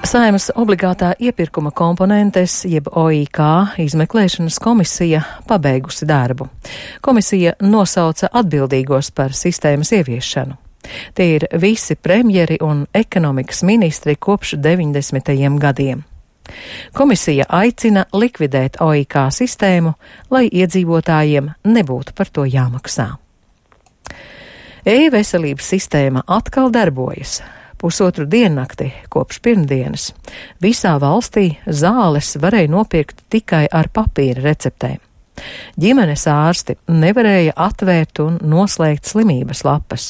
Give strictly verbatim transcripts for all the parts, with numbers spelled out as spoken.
Saeimas obligātā iepirkuma komponentes, jeb O I K izmeklēšanas komisija pabeigusi darbu. Komisija nosauca atbildīgos par sistēmas ieviešanu. Tie ir visi premjeri un ekonomikas ministri kopš deviņdesmitajiem gadiem. Komisija aicina likvidēt O I K sistēmu, lai iedzīvotājiem nebūtu par to jāmaksā. E-veselības sistēma atkal darbojas. Pusotru diennakti kopš pirmdienas visā valstī zāles varēja nopirkt tikai ar papīra receptēm. Ģimenes ārsti nevarēja atvērt un noslēgt slimības lapas.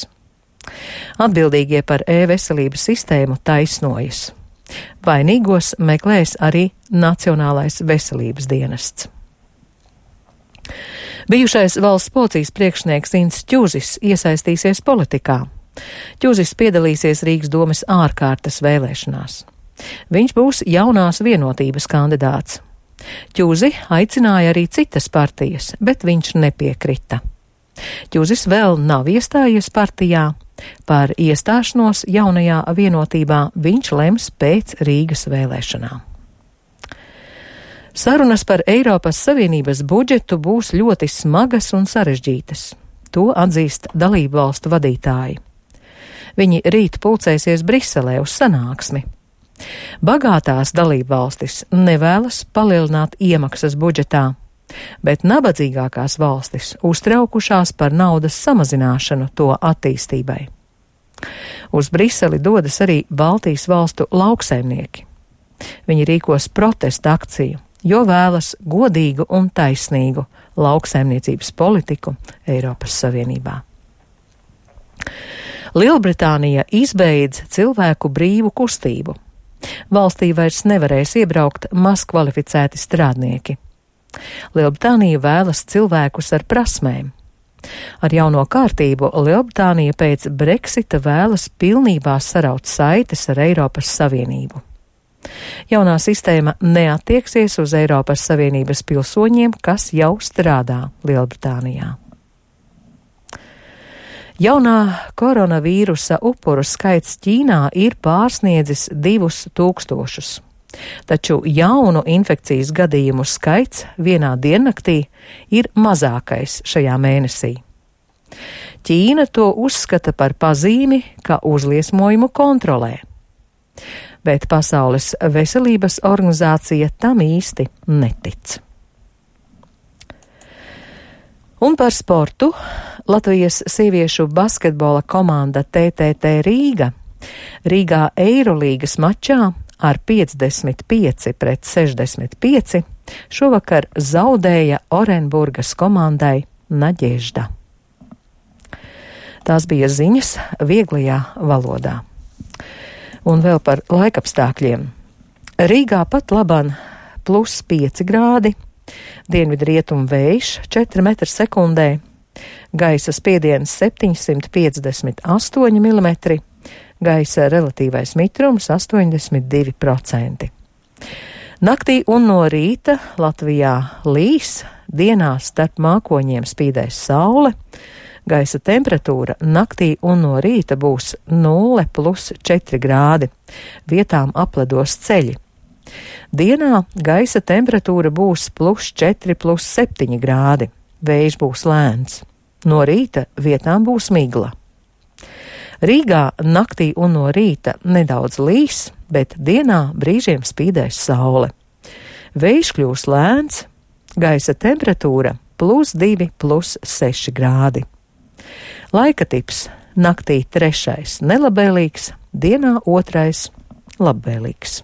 Atbildīgie par e-veselības sistēmu taisnojas. Vainīgos meklēs arī Nacionālais veselības dienests. Bijušais valsts policijas priekšnieks Inns Ķuzis iesaistīsies politikā. Ķuzis piedalīsies Rīgas domes ārkārtas vēlēšanās. Viņš būs jaunās vienotības kandidāts. Ķuzi aicināja arī citas partijas, bet viņš nepiekrita. Ķuzis vēl nav iestājies partijā. Par iestāšanos jaunajā vienotībā viņš lems pēc Rīgas vēlēšanām. Sarunas par Eiropas Savienības budžetu būs ļoti smagas un sarežģītas. To atzīst dalību valstu vadītāji. Viņi rīt pulcēsies Briselē uz sanāksmi. Bagātās dalībvalstis nevēlas palielināt iemaksas budžetā, bet nabadzīgākās valstis uztraukušās par naudas samazināšanu to attīstībai. Uz Briseli dodas arī Baltijas valstu lauksaimnieki. Viņi rīkos protesta akciju, jo vēlas godīgu un taisnīgu lauksaimniecības politiku Eiropas Savienībā. Lielbritānija izbeidz cilvēku brīvu kustību. Valstī vairs nevarēs iebraukt mazkvalificēti strādnieki. Lielbritānija vēlas cilvēkus ar prasmēm. Ar jauno kārtību Lielbritānija pēc Brexita vēlas pilnībā saraut saites ar Eiropas Savienību. Jaunā sistēma neattieksies uz Eiropas Savienības pilsoņiem, kas jau strādā Lielbritānijā. Jaunā koronavīrusa upuru skaits Ķīnā ir pārsniedzis divus tūkstošus, taču jaunu infekcijas gadījumu skaits vienā diennaktī ir mazākais šajā mēnesī. Ķīna to uzskata par pazīmi, ka uzliesmojumu kontrolē, bet Pasaules veselības organizācija tam īsti netic. Un par sportu. Latvijas sieviešu basketbola komanda T T T Rīga Rīgā Eirolīgas mačā ar piecdesmit pieci pret sešdesmit pieci šovakar zaudēja Orenburgas komandai Naģežda. Tās bija ziņas vieglajā valodā. Un vēl par laikapstākļiem. Rīgā pat laban plus pieci grādi, dienvidrietumu vējš četri metri sekundē, gaisa spiediens septiņsimt piecdesmit astoņi milimetri, gaisa relatīvais mitrums astoņdesmit divi procenti. Naktī un no rīta Latvijā līs, dienā starp mākoņiem spīdēs saule, gaisa temperatūra naktī un no rīta būs nulle plus četri grādi, vietām apledos ceļi. Dienā gaisa temperatūra būs plus četri plus septiņi grādi, vējš būs lēns. No rīta vietām būs migla. Rīgā naktī un no rīta nedaudz līs, bet dienā brīžiem spīdēs saule. Vējš kļūs lēns, gaisa temperatūra plus divi plus seši grādi. Laika tips naktī trešais nelabvēlīgs, dienā otrais labvēlīgs.